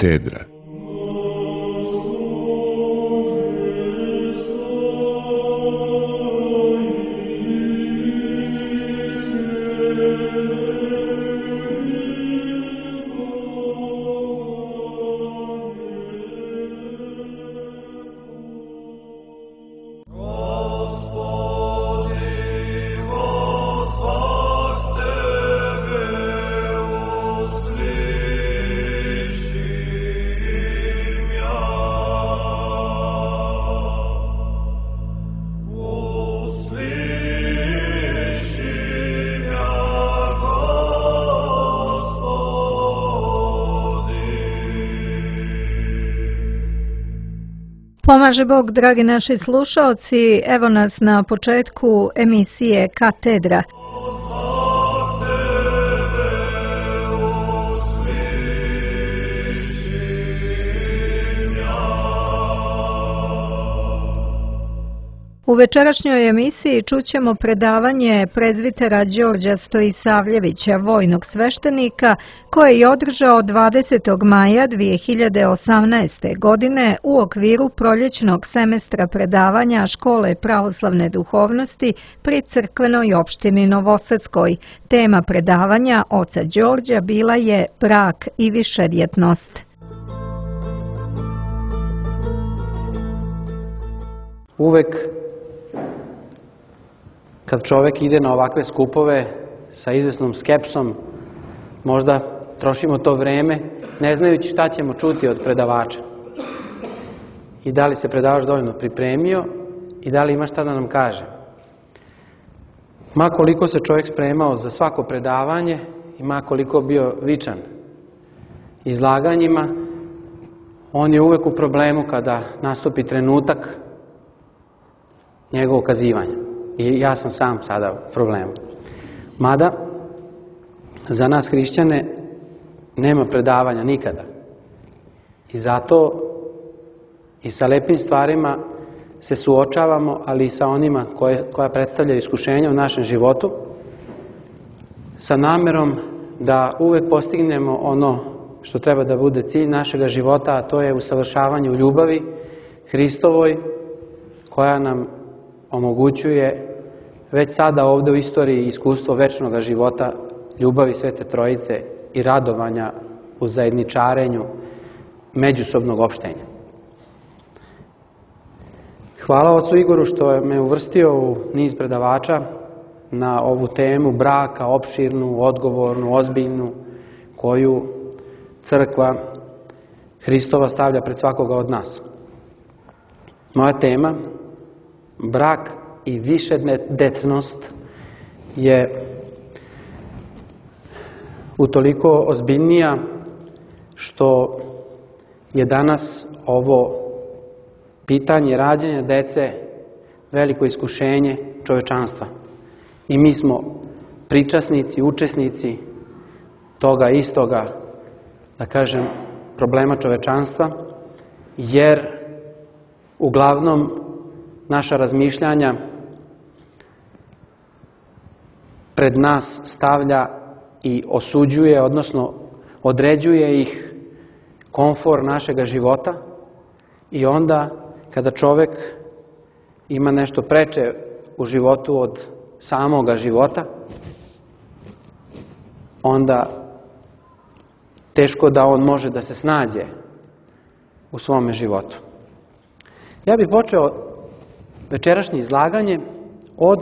Katedra. Pomaže Bog, dragi naši slušaoci, evo nas na početku emisije Katedra. U večerašnjoj emisiji čućemo predavanje prezbitera Đorđa Stojisavljevića, vojnog sveštenika, koje je održao 20. maja 2018. godine u okviru proljećnog semestra predavanja Škole pravoslavne duhovnosti pri crkvenoj opštini Novosadskoj. Tema predavanja oca Đorđa bila je brak i višedjetnost. Uvek kad čovek ide na ovakve skupove sa izvesnom skepsom, možda trošimo to vreme ne znajući šta ćemo čuti od predavača. I da li se predavač dovoljno pripremio i da li ima šta da nam kaže. Ma koliko se čovjek spremao za svako predavanje i ma koliko bio vičan izlaganjima, on je uvek u problemu kada nastupi trenutak njegovog kazivanja. I ja sam sam sada u problemu. Mada, za nas hrišćane nema predavanja nikada. I zato i sa lepim stvarima se suočavamo, ali i sa onima koja predstavljaju iskušenja u našem životu, sa namerom da uvek postignemo ono što treba da bude cilj našega života, a to je usavršavanje u ljubavi Hristovoj, koja nam omogućuje već sada ovde u istoriji iskustvo večnog života, ljubavi Svete Trojice i radovanja u zajedničarenju međusobnog opštenja. Hvala ocu Igoru što me uvrstio u niz predavača na ovu temu braka, opširnu, odgovornu, ozbiljnu, koju crkva Hristova stavlja pred svakoga od nas. Moja tema, brak i višedetnost, je utoliko ozbiljnija što je danas ovo pitanje rađanja dece veliko iskušenje čovečanstva. I mi smo pričasnici, učesnici toga istoga, da kažem, problema čovečanstva, jer uglavnom naša razmišljanja pred nas stavlja i osuđuje, odnosno određuje ih komfor našega života, i onda kada čovek ima nešto preče u životu od samoga života, onda teško da on može da se snađe u svome životu. Ja bih počeo večerašnje izlaganje od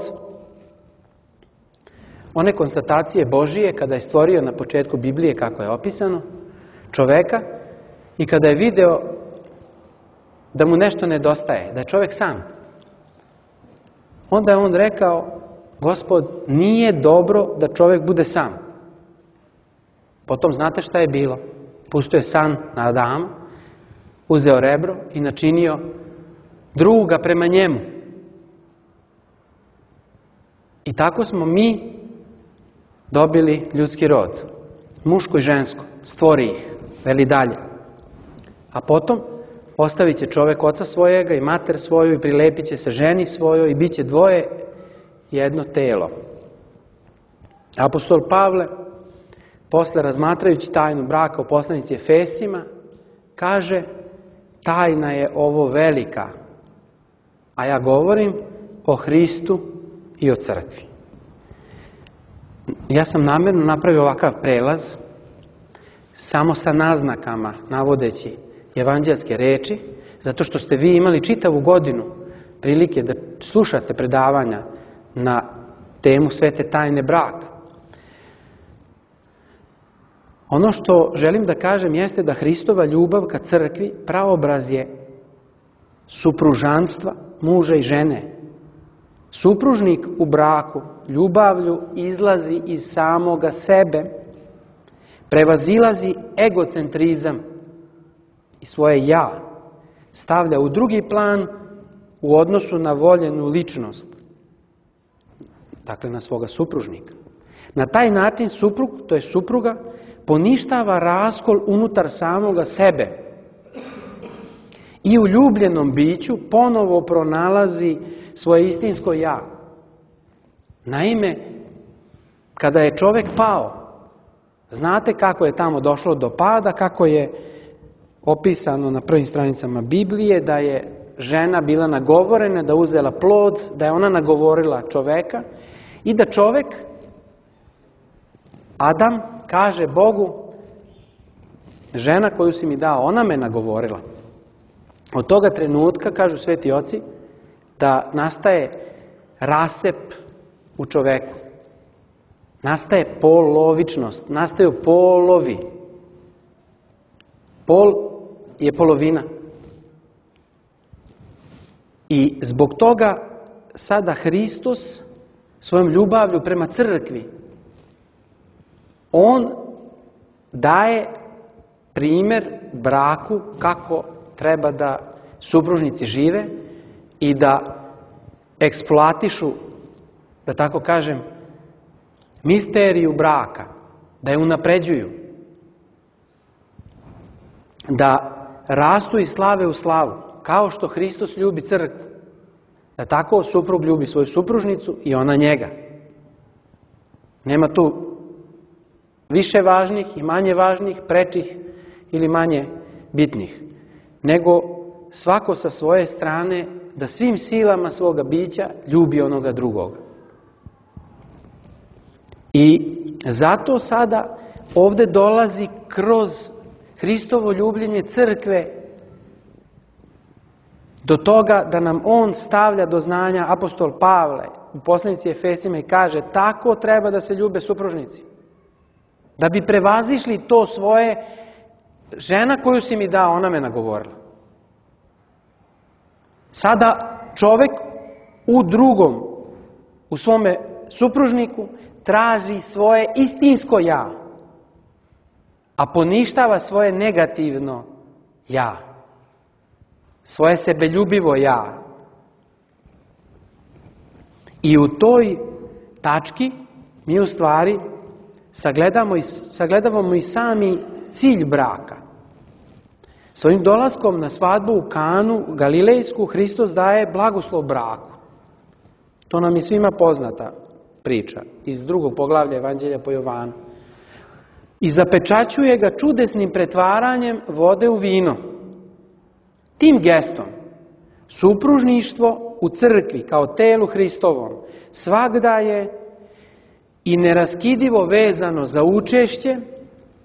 one konstatacije Božije kada je stvorio na početku Biblije, kako je opisano, čoveka, i kada je video da mu nešto nedostaje, da je čovek sam. Onda je on rekao: Gospod, nije dobro da čovek bude sam. Potom znate šta je bilo? Pustio je san na Adama, uzeo rebro i načinio druga prema njemu. I tako smo mi dobili ljudski rod, muško i žensko, stvori ih, veli dalje. A potom ostavit će čovek oca svojega i mater svoju i prilepit će se ženi svojoj i bit će dvoje jedno telo. Apostol Pavle, posle razmatrajući tajnu braka u poslanici Efesima, kaže tajna je ovo velika, a ja govorim o Hristu i o crkvi. Ja sam namjerno napravio ovakav prelaz, samo sa naznakama, navodeći evanđelske reči, zato što ste vi imali čitavu godinu prilike da slušate predavanja na temu svete tajne braka. Ono što želim da kažem jeste da Hristova ljubav ka crkvi praobraz je supružanstva muža i žene. Supružnik u braku ljubavlju izlazi iz samoga sebe, prevazilazi egocentrizam i svoje ja, stavlja u drugi plan u odnosu na voljenu ličnost, dakle na svoga supružnika. Na taj način suprug, to je supruga, poništava raskol unutar samoga sebe i u ljubljenom biću ponovo pronalazi svoje istinsko ja. Naime, kada je čovjek pao, znate kako je tamo došlo do pada, kako je opisano na prvim stranicama Biblije, da je žena bila nagovorena, da uzela plod, da je ona nagovorila čoveka i da čovek, Adam, kaže Bogu, žena koju si mi dao, ona me nagovorila. Od toga trenutka, kažu sveti oci, da nastaje rascep u čoveku. Nastaje polovičnost, nastaju polovi. Pol je polovina. I zbog toga sada Hristos svojom ljubavlju prema crkvi, on daje primjer braku kako treba da supružnici žive i da eksploatišu, da tako kažem, misteriju braka, da je unapređuju, da rastu iz slave u slavu, kao što Hristos ljubi crkvu, da tako suprug ljubi svoju supružnicu i ona njega. Nema tu više važnih i manje važnih, prečih ili manje bitnih, nego svako sa svoje strane da svim silama svoga bića ljubi onoga drugoga. I zato sada ovdje dolazi kroz Hristovo ljubljenje crkve do toga da nam on stavlja do znanja apostol Pavle u poslanici Efesima i kaže tako treba da se ljube supružnici. Da bi prevazišli to svoje, žena koju si mi dao, ona me nagovorila. Sada čovjek u drugom, u svome supružniku, traži svoje istinsko ja, a poništava svoje negativno ja, svoje sebeljubivo ja. I u toj tački mi u stvari sagledavamo i sami cilj braka. Svojim dolaskom na svadbu u Kanu Galilejsku Hristos daje blagoslov braku. To nam je svima poznata priča iz 2. poglavlja Evanđelja po Jovanu. I zapečaćuje ga čudesnim pretvaranjem vode u vino. Tim gestom supružništvo u crkvi kao telu Hristovom svagda je i neraskidivo vezano za učešće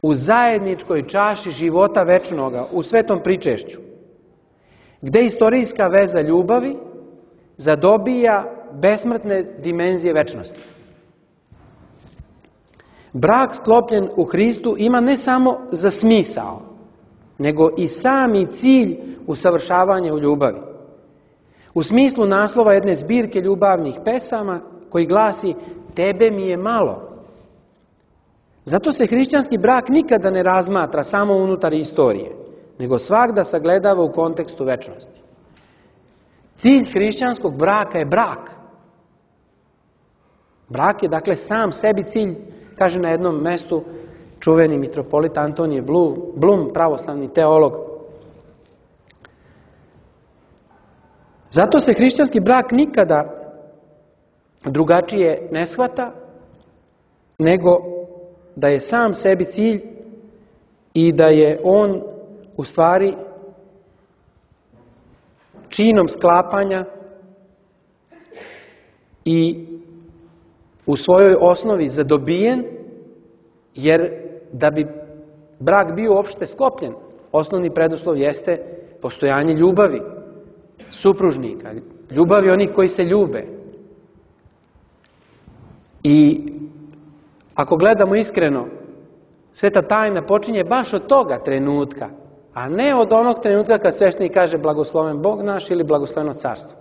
u zajedničkoj čaši života večnoga, u svetom pričešću, gde istorijska veza ljubavi zadobija besmrtne dimenzije večnosti. Brak sklopljen u Hristu ima ne samo za smisao, nego i sami cilj usavršavanja u ljubavi. U smislu naslova jedne zbirke ljubavnih pesama koji glasi tebe mi je malo. Zato se hrišćanski brak nikada ne razmatra samo unutar istorije, nego svagda sagledava u kontekstu večnosti. Cilj hrišćanskog braka je brak. Brak je dakle sam sebi cilj, kaže na jednom mestu čuveni mitropolit Antonije Blum, pravoslavni teolog. Zato se hrišćanski brak nikada drugačije ne shvata, nego da je sam sebi cilj i da je on u stvari činom sklapanja i u svojoj osnovi zadobijen, jer da bi brak bio uopšte sklopljen, osnovni preduslov jeste postojanje ljubavi supružnika, ljubavi onih koji se ljube. I ako gledamo iskreno, sveta tajna počinje baš od toga trenutka, a ne od onog trenutka kad sveštenik kaže blagosloven Bog naš ili blagosloveno carstvo.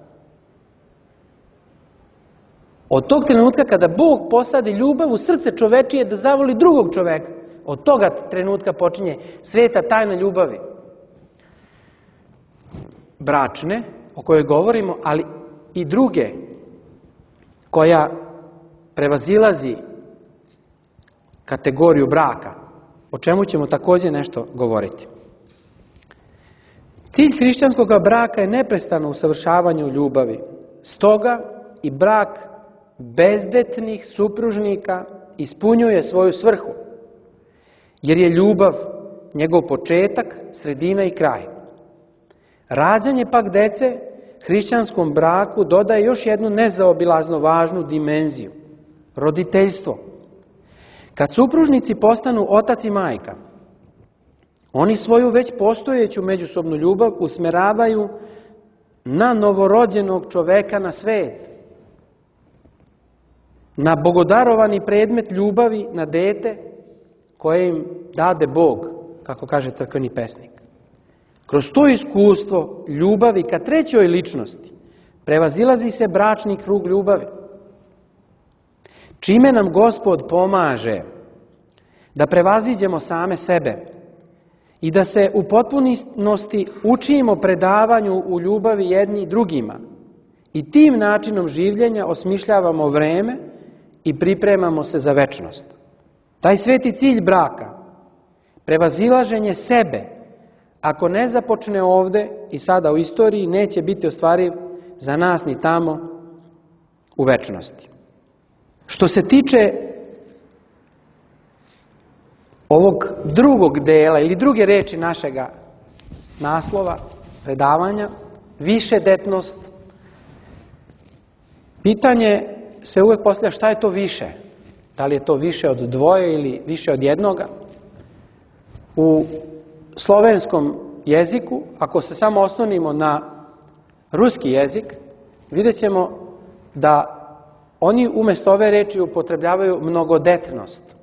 Od tog trenutka kada Bog posadi ljubav u srce čovečije da zavoli drugog čoveka, od toga trenutka počinje sveta tajna ljubavi. Bračne, o kojoj govorimo, ali i druge, koja prevazilazi kategoriju braka, o čemu ćemo također nešto govoriti. Cilj hrišćanskog braka je neprestano usavršavanje u ljubavi. Stoga i brak bezdetnih supružnika ispunjuje svoju svrhu, jer je ljubav njegov početak, sredina i kraj. Rađanje pak dece hrišćanskom braku dodaje još jednu nezaobilazno važnu dimenziju, roditeljstvo. Kad supružnici postanu otac i majka, oni svoju već postojeću međusobnu ljubav usmeravaju na novorođenog čoveka na svet, na bogodarovani predmet ljubavi, na dete koje im dade Bog, kako kaže crkveni pesnik. Kroz to iskustvo ljubavi ka trećoj ličnosti prevazilazi se bračni krug ljubavi, čime nam Gospod pomaže da prevaziđemo same sebe i da se u potpunosti učimo predavanju u ljubavi jedni drugima i tim načinom življenja osmišljavamo vreme i pripremamo se za večnost. Taj sveti cilj braka, prevazilaženje sebe, ako ne započne ovde i sada u istoriji, neće biti ostvariv za nas ni tamo u večnosti. Što se tiče ovog drugog dela ili druge reči našega naslova, predavanja, višedetnost, pitanje se uvek postavlja šta je to više. Da li je to više od dvoje ili više od jednoga? U slovenskom jeziku, ako se samo oslonimo na ruski jezik, vidjet ćemo da oni umjesto ove reči upotrebljavaju mnogodetnost.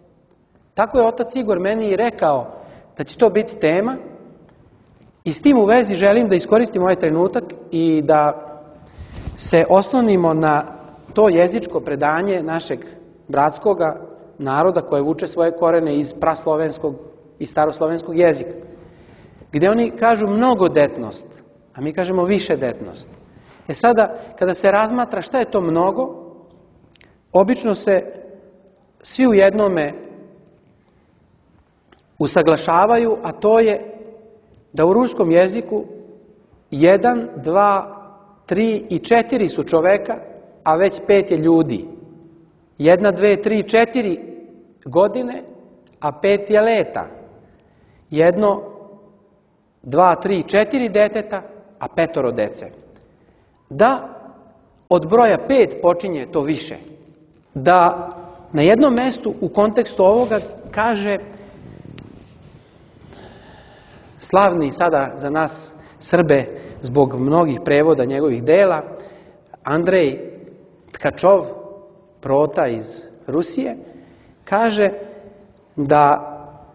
Tako je otac Igor meni i rekao da će to biti tema i s tim u vezi želim da iskoristim ovaj trenutak i da se oslonimo na to jezičko predanje našeg bratskoga naroda koje vuče svoje korene iz praslovenskog i staroslovenskog jezika, gdje oni kažu mnogodetnost, a mi kažemo višedetnost. Sada, kada se razmatra šta je to mnogo, obično se svi u jednome usaglašavaju, a to je da u ruskom jeziku 1, 2, 3 i 4 su čoveka, a već 5 je ljudi. 1, 2, 3, 4 godine, a 5 je leta. 1, 2, 3, 4 deteta, a 5 dece. Da od broja 5 počinje to više. Da na jednom mestu u kontekstu ovoga kaže slavni sada za nas Srbe zbog mnogih prevoda njegovih dela, Andrej Tkačov, prota iz Rusije, kaže da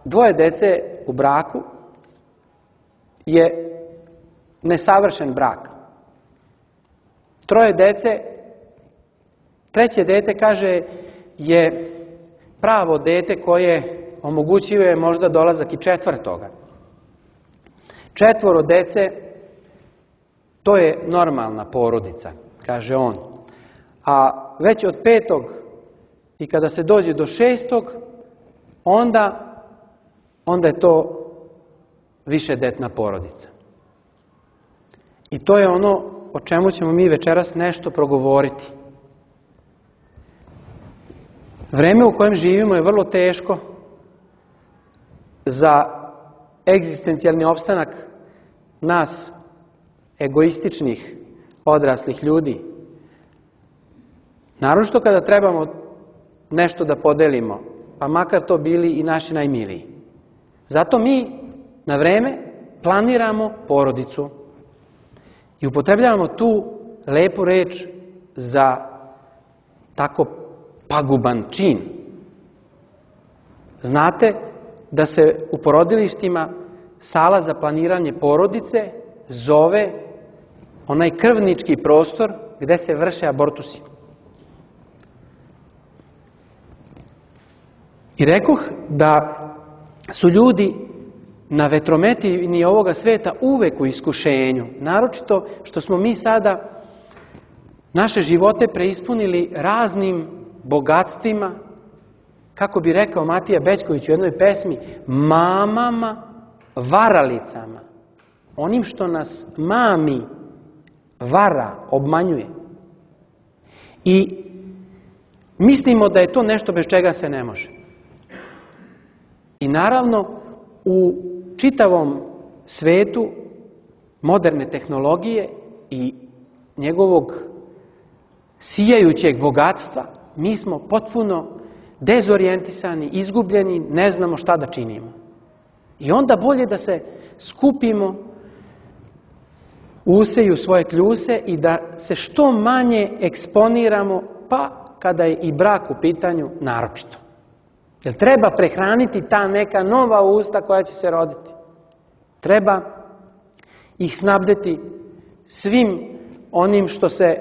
2 dece u braku je nesavršen brak. 3 dece, 3. dete, kaže, je pravo dete koje omogućuje možda dolazak i 4. 4 dece, to je normalna porodica, kaže on. A već od 5. i kada se dođe do 6. onda je to višedetna porodica. I to je ono o čemu ćemo mi večeras nešto progovoriti. Vreme u kojem živimo je vrlo teško za egzistencijalni opstanak nas, egoističnih, odraslih ljudi. Naročito kada trebamo nešto da podelimo, pa makar to bili i naši najmiliji. Zato mi na vreme planiramo porodicu i upotrebljavamo tu lepu reč za tako paguban čin. Znate da se u porodilištima sala za planiranje porodice zove onaj krvnički prostor gde se vrše abortusi. I rekoh da su ljudi na vetrometini ovoga sveta uvek u iskušenju, naročito što smo mi sada naše živote preispunili raznim bogatstvima, kako bi rekao Matija Bećković u jednoj pesmi, mamama, varalicama, onim što nas mami vara, obmanjuje. I mislimo da je to nešto bez čega se ne može. I naravno, u čitavom svetu moderne tehnologije i njegovog sijajućeg bogatstva, mi smo potpuno dezorijentisani, izgubljeni, ne znamo šta da činimo. I onda bolje da se skupimo, useju svoje kljuse i da se što manje eksponiramo, pa kada je i brak u pitanju, naročito. Jer treba prehraniti ta neka nova usta koja će se roditi. Treba ih snabdeti svim onim što se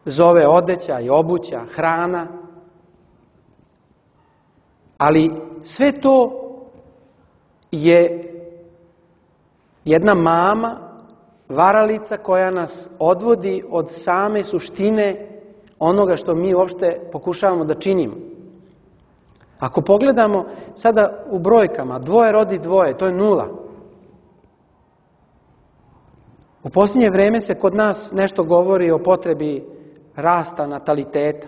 zove odeća i obuća, hrana. Ali sve to je jedna mama, varalica koja nas odvodi od same suštine onoga što mi uopšte pokušavamo da činimo. Ako pogledamo sada u brojkama, 2 rodi 2, to je 0. U posljednje vreme se kod nas nešto govori o potrebi rasta nataliteta.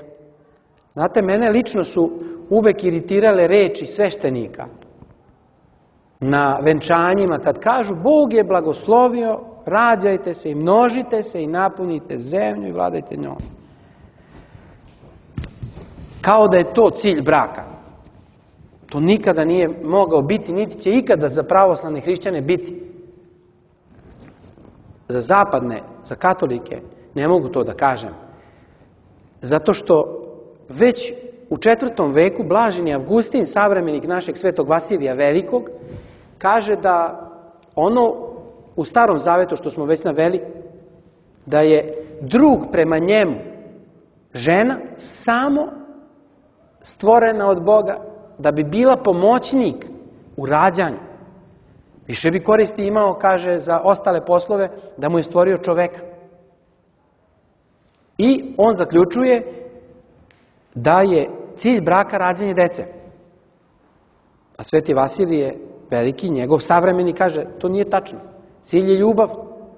Znate, mene lično su uvek iritirale reči sveštenika na venčanjima kad kažu Bog je blagoslovio, rađajte se i množite se i napunite zemlju i vladajte njom. Kao da je to cilj braka. To nikada nije mogao biti, niti će ikada za pravoslavne hrišćane biti. Za zapadne, za katolike, ne mogu to da kažem. Zato što već u 4. veku blaženi Avgustin, savremenik našeg svetog Vasilija Velikog, kaže da ono u Starom Zavetu što smo već naveli, da je drug prema njemu žena samo stvorena od Boga da bi bila pomoćnik u rađanju. Više bi koristi imao, kaže, za ostale poslove da mu je stvorio čoveka. I on zaključuje da je cilj braka rađanje dece. A Sveti Vasilije Veliki, njegov savremenik, kaže, to nije tačno. Cilj je ljubav,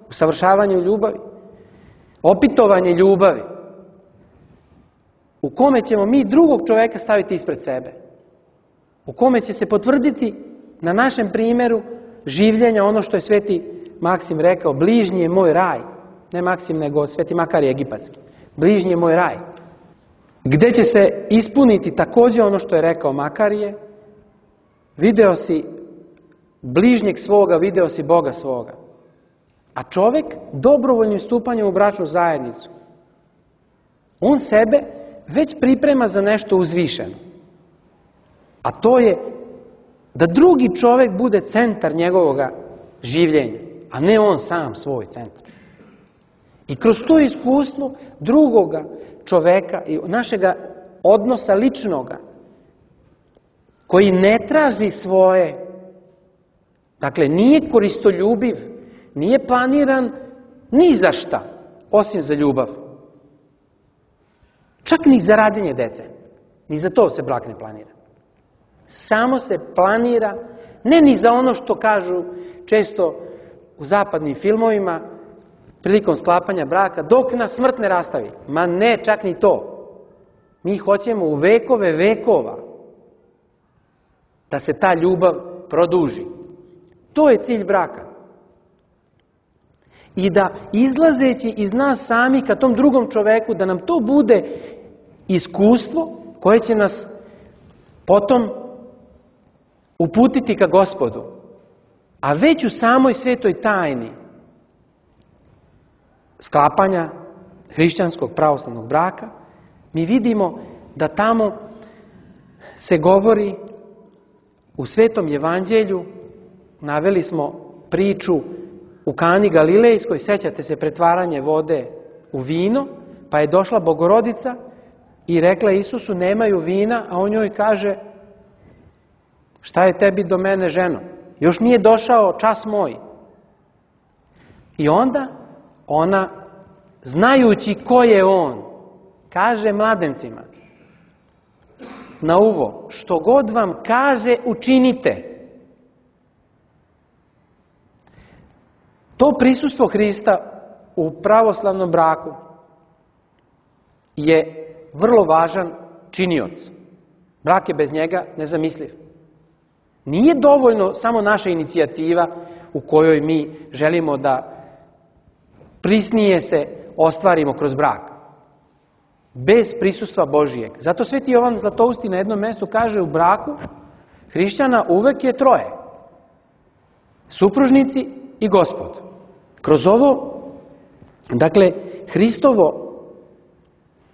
usavršavanje u ljubavi, opitovanje ljubavi, u kome ćemo mi drugog čoveka staviti ispred sebe, u kome će se potvrditi na našem primjeru življenja ono što je Sveti Maksim rekao, bližnji je moj raj. Ne Maksim, nego Sveti Makarije Egipatski. Bližnji je moj raj. Gde će se ispuniti također ono što je rekao Makarije, video si bližnjeg svoga, video si Boga svoga. A čovjek dobrovoljnim stupanjem u bračnu zajednicu, on sebe već priprema za nešto uzvišeno. A to je da drugi čovjek bude centar njegovoga življenja, a ne on sam svoj centar. I kroz to iskustvo drugoga čoveka i našega odnosa ličnoga, koji ne traži svoje, dakle nije koristoljubiv, nije planiran ni za šta, osim za ljubav. Čak ni za rađenje dece. Ni za to se brak ne planira. Samo se planira, ne ni za ono što kažu često u zapadnim filmovima, prilikom sklapanja braka, dok nas smrt ne rastavi. Ma ne, čak ni to. Mi hoćemo u vekove vekova da se ta ljubav produži. To je cilj braka. I da izlazeći iz nas sami ka tom drugom čoveku, da nam to bude iskustvo koje će nas potom uputiti ka Gospodu. A već u samoj svetoj tajni sklapanja hrišćanskog pravoslavnog braka, mi vidimo da tamo se govori u Svetom evanđelju, naveli smo priču u Kani Galilejskoj, sećate se pretvaranje vode u vino, pa je došla Bogorodica i rekla Isusu nemaju vina, a on njoj kaže šta je tebi do mene, ženo? Još nije došao čas moj. I onda ona, znajući ko je on, kaže mladencima na uvo, što god vam kaže, učinite. To prisustvo Hrista u pravoslavnom braku je vrlo važan činioc. Brak je bez njega nezamisliv. Nije dovoljno samo naša inicijativa u kojoj mi želimo da prisnije se ostvarimo kroz brak. Bez prisustva Božijeg. Zato Sveti Jovan Zlatousti na jednom mjestu kaže u braku hrišćana uvek je troje. Supružnici i Gospod. Kroz ovo, dakle, Hristovo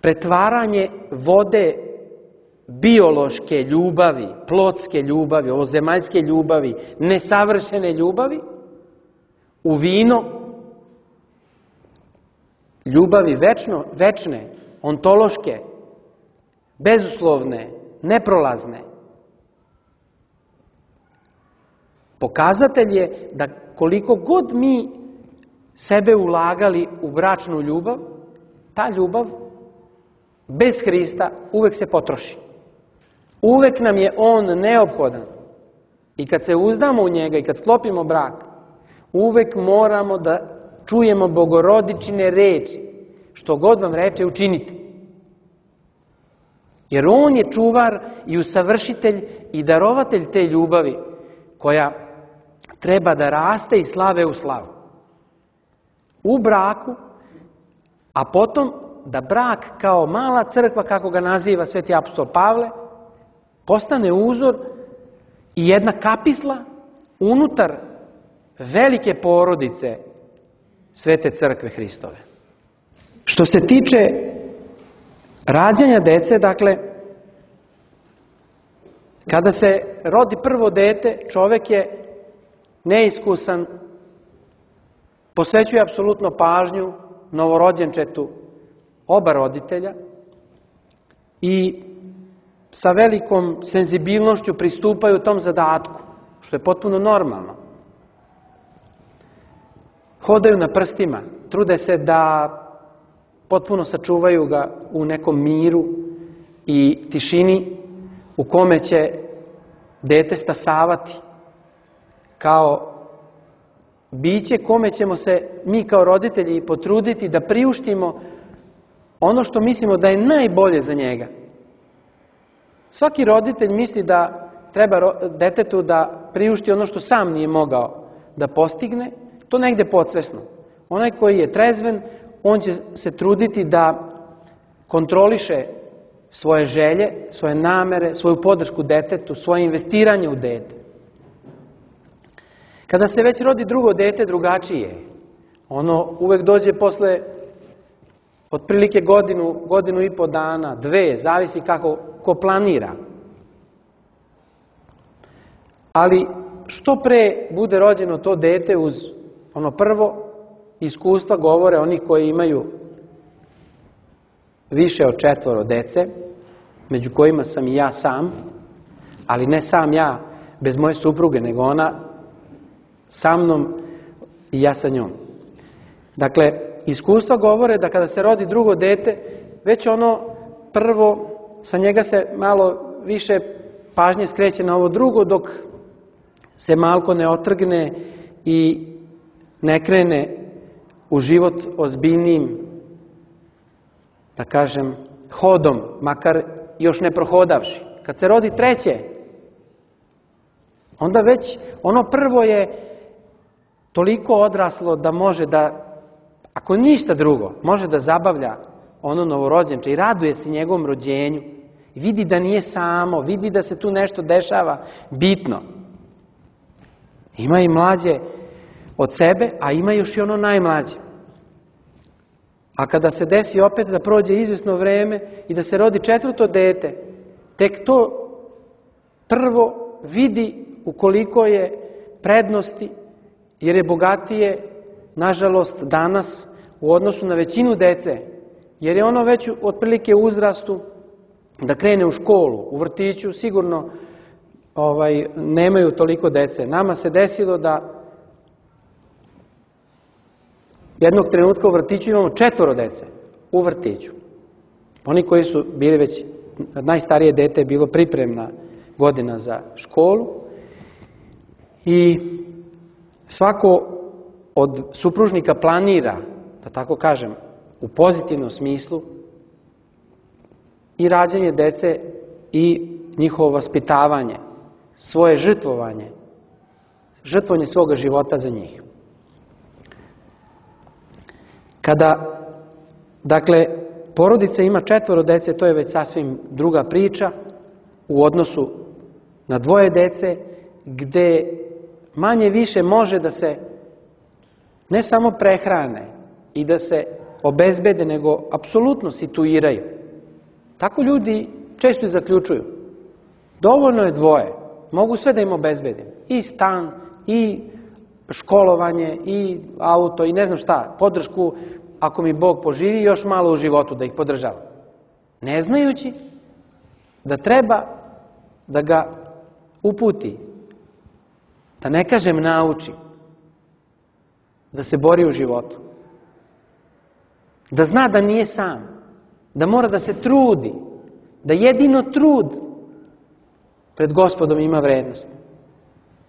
pretvaranje vode biološke ljubavi, plotske ljubavi, ovozemaljske ljubavi, nesavršene ljubavi, u vino ljubavi večne, ontološke, bezuslovne, neprolazne. Pokazatelj je da koliko god mi sebe ulagali u bračnu ljubav, ta ljubav bez Hrista uvek se potroši. Uvek nam je On neophodan. I kad se uzdamo u njega i kad sklopimo brak, uvek moramo da čujemo Bogorodičine reči. Što god vam reče, učinite. Jer On je čuvar i usavršitelj i darovatelj te ljubavi koja treba da raste iz slave u slavu. U braku, a potom da brak kao mala crkva, kako ga naziva Sveti apostol Pavle, postane uzor i jedna kapisla unutar velike porodice Svete crkve Hristove. Što se tiče rađanja dece, dakle, kada se rodi prvo dete, čovek je neiskusan, posvećuje apsolutno pažnju novorođenčetu oba roditelja i sa velikom senzibilnošću pristupaju tom zadatku, što je potpuno normalno. Hodaju na prstima, trude se da potpuno sačuvaju ga u nekom miru i tišini u kome će dete stasavati kao biće kome ćemo se mi kao roditelji potruditi da priuštimo ono što mislimo da je najbolje za njega. Svaki roditelj misli da treba detetu da priušti ono što sam nije mogao da postigne, to negde podsvesno. Onaj koji je trezven, on će se truditi da kontroliše svoje želje, svoje namere, svoju podršku detetu, svoje investiranje u dete. Kada se već rodi drugo dete, drugačije. Ono uvek dođe posle otprilike godinu i po dana, 2, zavisi kako ko planira. Ali što pre bude rođeno to dete uz ono prvo, iskustva govore onih koji imaju više od 4 dece, među kojima sam i ja sam, ali ne sam ja bez moje supruge, nego ona sa mnom i ja sa njom. Dakle, iskustva govore da kada se rodi drugo dete, već ono prvo, sa njega se malo više pažnje skreće na ovo drugo, dok se malko ne otrgne i ne krene u život ozbiljnijim, da kažem, hodom, makar još ne prohodavši. Kad se rodi treće, onda već ono prvo je toliko odraslo da može da, ako ništa drugo, može da zabavlja ono novorođenče i raduje se njegovom rođenju. I vidi da nije samo, vidi da se tu nešto dešava bitno. Ima i mlađe od sebe, a ima još i ono najmlađe. A kada se desi opet da prođe izvjesno vreme i da se rodi 4. dete, tek to prvo vidi ukoliko je prednosti, jer je bogatije, nažalost, danas u odnosu na većinu dece, jer je ono već otprilike u uzrastu da krene u školu, u vrtiću, sigurno nemaju toliko dece. Nama se desilo da jednog trenutka u vrtiću imamo 4 dece u vrtiću. Oni koji su bili već, najstarije dete je bilo pripremna godina za školu i svako od supružnika planira, da tako kažem, u pozitivnom smislu i rađanje dece i njihovo vaspitavanje, svoje žrtvovanje svoga života za njih. Kada, dakle, porodica ima 4 dece, to je već sasvim druga priča u odnosu na 2 dece, gde manje više može da se ne samo prehrane i da se obezbede, nego apsolutno situiraju. Tako ljudi često i zaključuju. Dovoljno je 2, mogu sve da im obezbedim. I stan, i školovanje, i auto, i ne znam šta, podršku, ako mi Bog poživi, još malo u životu da ih podržava. Ne znajući da treba da ga uputi, da ne kažem nauči, da se bori u životu. Da zna da nije sam, da mora da se trudi, da jedino trud pred Gospodom ima vrednost.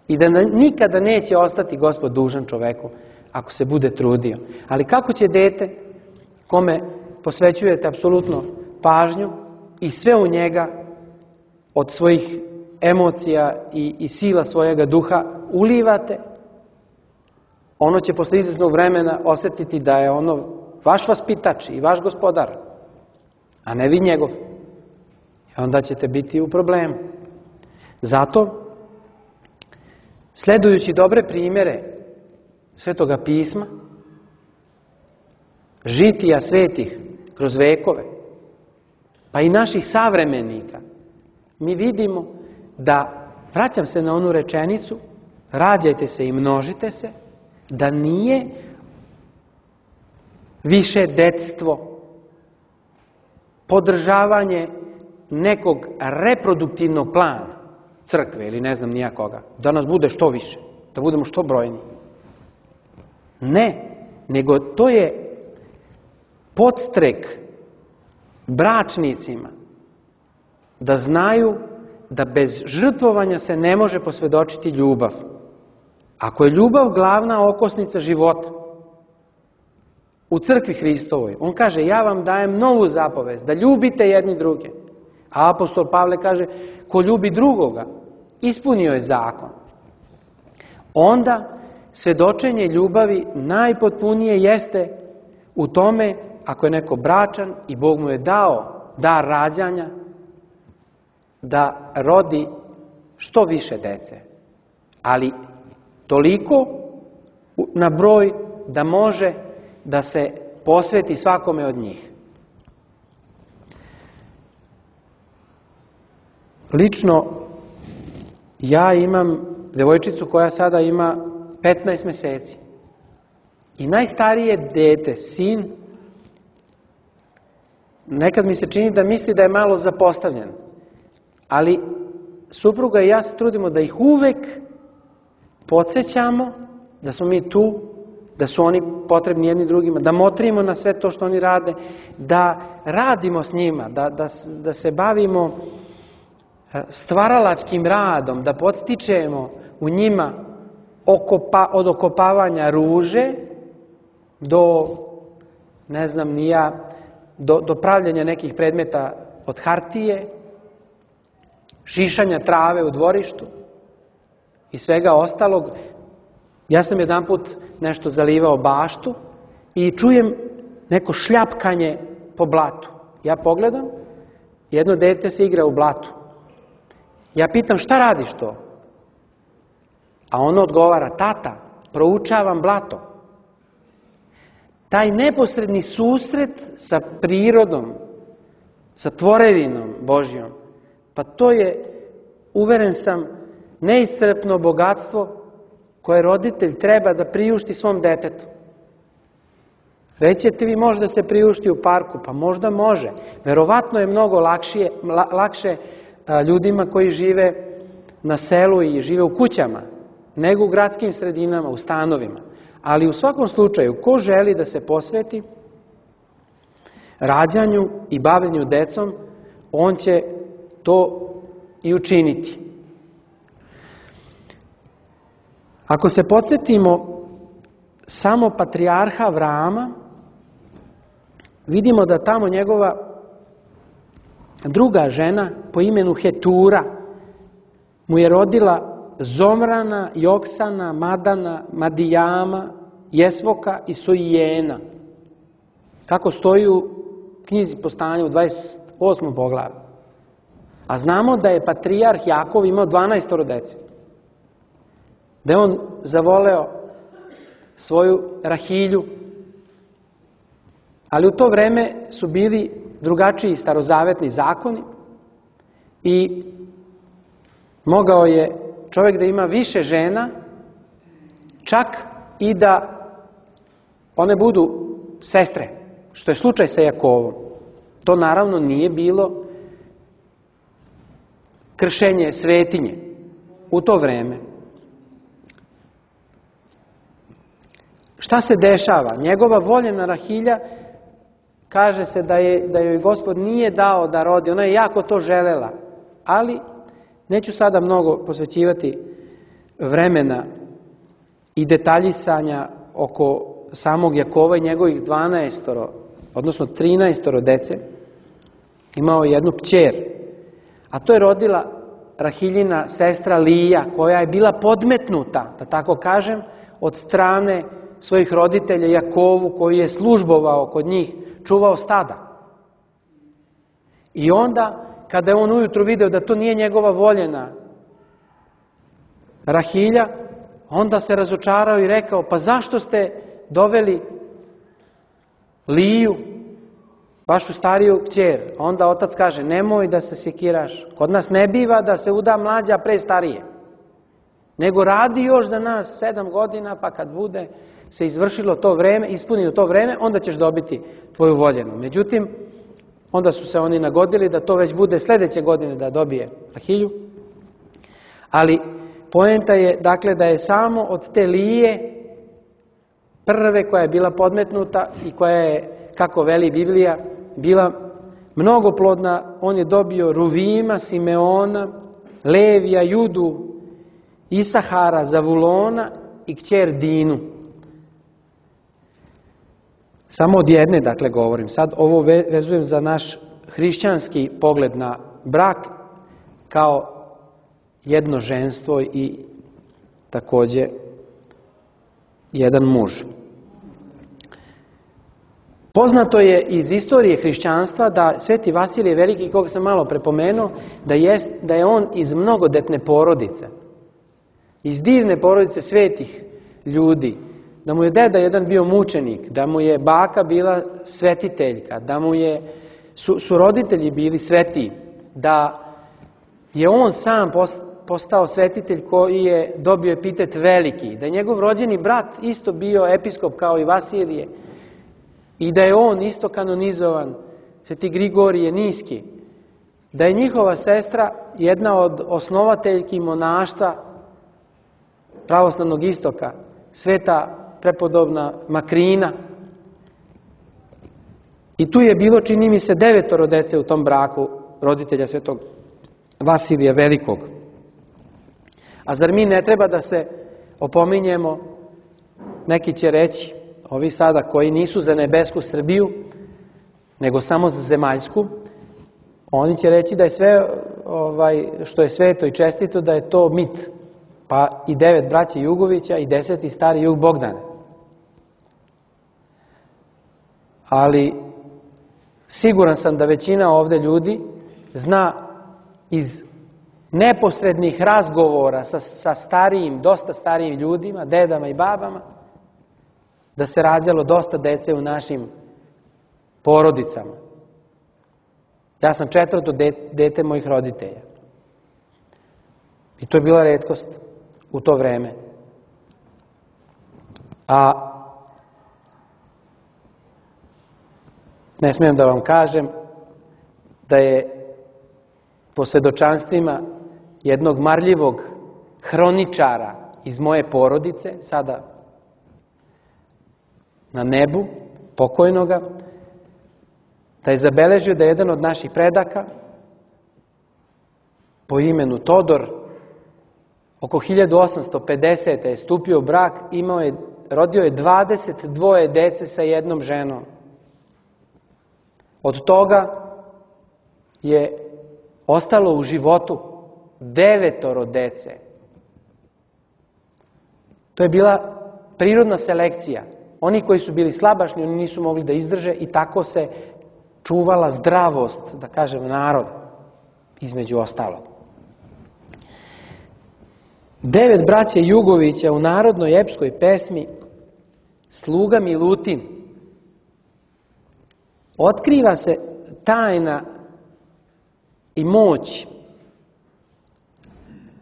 I da nikada neće ostati Gospod dužan čoveku ako se bude trudio. Ali kako će dete kome posvećujete apsolutno pažnju i sve u njega od svojih emocija i sila svojega duha ulivate, ono će posle izvesnog vremena osjetiti da je ono vaš vaspitač i vaš gospodar, a ne vi njegov. I onda ćete biti u problemu. Zato, sledujući dobre primjere Svetoga pisma, žitija svetih kroz vekove, pa i naših savremenika, mi vidimo da, vraćam se na onu rečenicu, rađajte se i množite se, da nije više detstvo, podržavanje nekog reproduktivnog plana crkve ili ne znam nija koga, da nas bude što više, da budemo što brojniji. Ne, nego to je podstrek bračnicima da znaju da bez žrtvovanja se ne može posvjedočiti ljubav. Ako je ljubav glavna okosnica života u crkvi Hristovoj, on kaže, ja vam dajem novu zapovest, da ljubite jedni druge. A apostol Pavle kaže, ko ljubi drugoga, ispunio je zakon. Onda svjedočenje ljubavi najpotpunije jeste u tome, ako je neko bračan i Bog mu je dao dar rađanja, da rodi što više dece. Ali toliko na broj da može da se posveti svakome od njih. Lično, ja imam devojčicu koja sada ima 15 meseci. I najstarije dete, sin, nekad mi se čini da misli da je malo zapostavljen. Ali supruga i ja se trudimo da ih uvek podsjećamo da smo mi tu, da su oni potrebni jedni drugima, da motrimo na sve to što oni rade, da radimo s njima, da se bavimo stvaralačkim radom, da podstičemo u njima od okopavanja ruže do, ne znam ni ja, do pravljenja nekih predmeta od hartije, šišanja trave u dvorištu i svega ostalog, Ja sam jedanput nešto zalivao baštu i čujem neko šljapkanje po blatu. Ja pogledam, jedno dete se igra u blatu. Ja pitam, šta radiš to? A ono odgovara, tata, proučavam blato. Taj neposredni susret sa prirodom, sa tvorevinom Božjom, pa to je, uveren sam, neiscrpno bogatstvo koje roditelj treba da priušti svom detetu. Rećete vi, može da se priušti u parku? Pa možda može. Verovatno je mnogo lakše ljudima koji žive na selu i žive u kućama, nego u gradskim sredinama, u stanovima. Ali u svakom slučaju, ko želi da se posveti rađanju i bavljenju decom, on će to i učiniti. Ako se podsjetimo samo patrijarha Avrama, vidimo da tamo njegova druga žena po imenu Hetura mu je rodila Zomrana, Joksana, Madana, Madijama, Jesvoka i Sojijena. Kako stoji u knjizi Postanja u 28. poglavlju. A znamo da je patrijarh Jakov imao 12 dece. Da je on zavoleo svoju Rahilju. Ali u to vreme su bili drugačiji starozavetni zakoni i mogao je čovjek da ima više žena, čak i da one budu sestre, što je slučaj sa Jakovom. To naravno nije bilo kršenje svetinje u to vreme. Šta se dešava? Njegova voljena Rahilja, kaže se da joj Gospod nije dao da rodi, ona je jako to želela, ali neću sada mnogo posvećivati vremena i detaljisanja oko samog Jakova i njegovih 12, odnosno 13 dece. Imao je jednu kćer, a to je rodila Rahiljina sestra Lija, koja je bila podmetnuta, da tako kažem, od strane svojih roditelja Jakovu, koji je službovao kod njih, čuvao stada. I onda, kada je on ujutru video da to nije njegova voljena Rahilja, onda se razočarao i rekao, pa zašto ste doveli Liju, vašu stariju kćer? Onda otac kaže, nemoj da se sekiraš. Kod nas ne biva da se uda mlađa pre starije, nego radi još za nas 7 godina, pa kad bude se izvršilo to vreme, ispunilo to vreme, onda ćeš dobiti tvoju voljenu. Međutim, onda su se oni nagodili da to već bude sljedeće godine da dobije Rahilju. Ali poenta je, dakle, da je samo od te Lije, prve koja je bila podmetnuta i koja je, kako veli Biblija, bila mnogoplodna, on je dobio Ruvima, Simeona, Levija, Judu, Isahara, Zavulona i kćer Dinu. Samo od jedne, dakle, govorim. Sad ovo vezujem za naš hrišćanski pogled na brak kao jedno ženstvo i također jedan muž. Poznato je iz istorije hrišćanstva da Sveti Vasilije Veliki, koga sam malo prepomenuo, da je on iz mnogodetne porodice, iz divne porodice svetih ljudi, da mu je deda jedan bio mučenik, da mu je baka bila svetiteljka, da mu su roditelji bili svetiji, da je on sam postao svetitelj koji je dobio epitet veliki, da je njegov rođeni brat isto bio episkop kao i Vasilije i da je on isto kanonizovan, Sveti Grigorije Niski, da je njihova sestra jedna od osnovateljki monaštva pravoslavnog istoka, sveta prepodobna Makrina. I tu je bilo, čini mi se, 9 dece u tom braku roditelja svetog Vasilija Velikog. A zar mi ne treba da se opominjemo, neki će reći, ovi sada koji nisu za nebesku Srbiju, nego samo za zemaljsku, oni će reći da je sve što je sveto i čestito, da je to mit. pa i 9 braće Jugovića i 10. stari Jug Bogdane. Ali siguran sam da većina ovde ljudi zna iz neposrednih razgovora sa starijim, dosta starijim ljudima, dedama i babama, da se rađalo dosta dece u našim porodicama. Ja sam 4. dete mojih roditelja. I to je bila retkost u to vreme. A ne smijem da vam kažem da je po svedočanstvima jednog marljivog hroničara iz moje porodice, sada na nebu, pokojnoga, da je zabeležio da je jedan od naših predaka po imenu Todor oko 1850. je stupio u brak, rodio je 22 dece sa jednom ženom. Od toga je ostalo u životu 9 dece. To je bila prirodna selekcija. Oni koji su bili slabašni, oni nisu mogli da izdrže i tako se čuvala zdravost, da kažem, naroda, između ostalog. 9 braće Jugovića u narodnoj epskoj pesmi Sluga Milutin. Otkriva se tajna i moć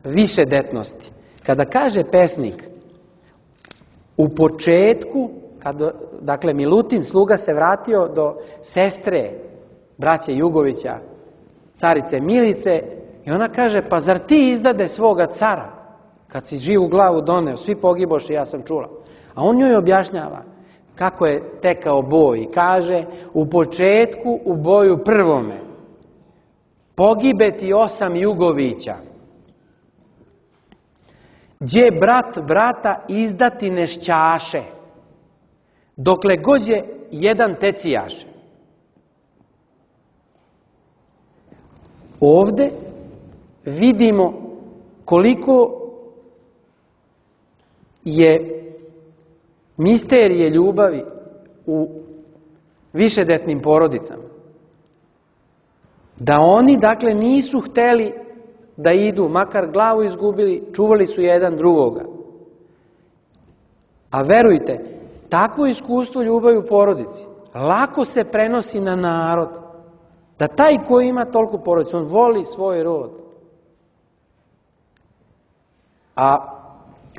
višedetnosti. Kada kaže pesnik u početku, dakle Milutin, sluga, se vratio do sestre braće Jugovića, carice Milice, i ona kaže, pa zar ti izdade svoga cara, kad si živu glavu doneo, svi pogiboše, ja sam čula. A on joj objašnjava kako je tekao boj i kaže, u početku u boju prvome pogibe ti 8 Jugovića, gdje brat brata izdati nešćaše, dokle god je jedan tecijaše. Ovde vidimo koliko je misterije ljubavi u višedetnim porodicama. Da oni, dakle, nisu hteli da idu, makar glavu izgubili, čuvali su jedan drugoga. A verujte, takvo iskustvo ljubavi u porodici lako se prenosi na narod. Da taj koji ima toliko porodicu, on voli svoj rod. A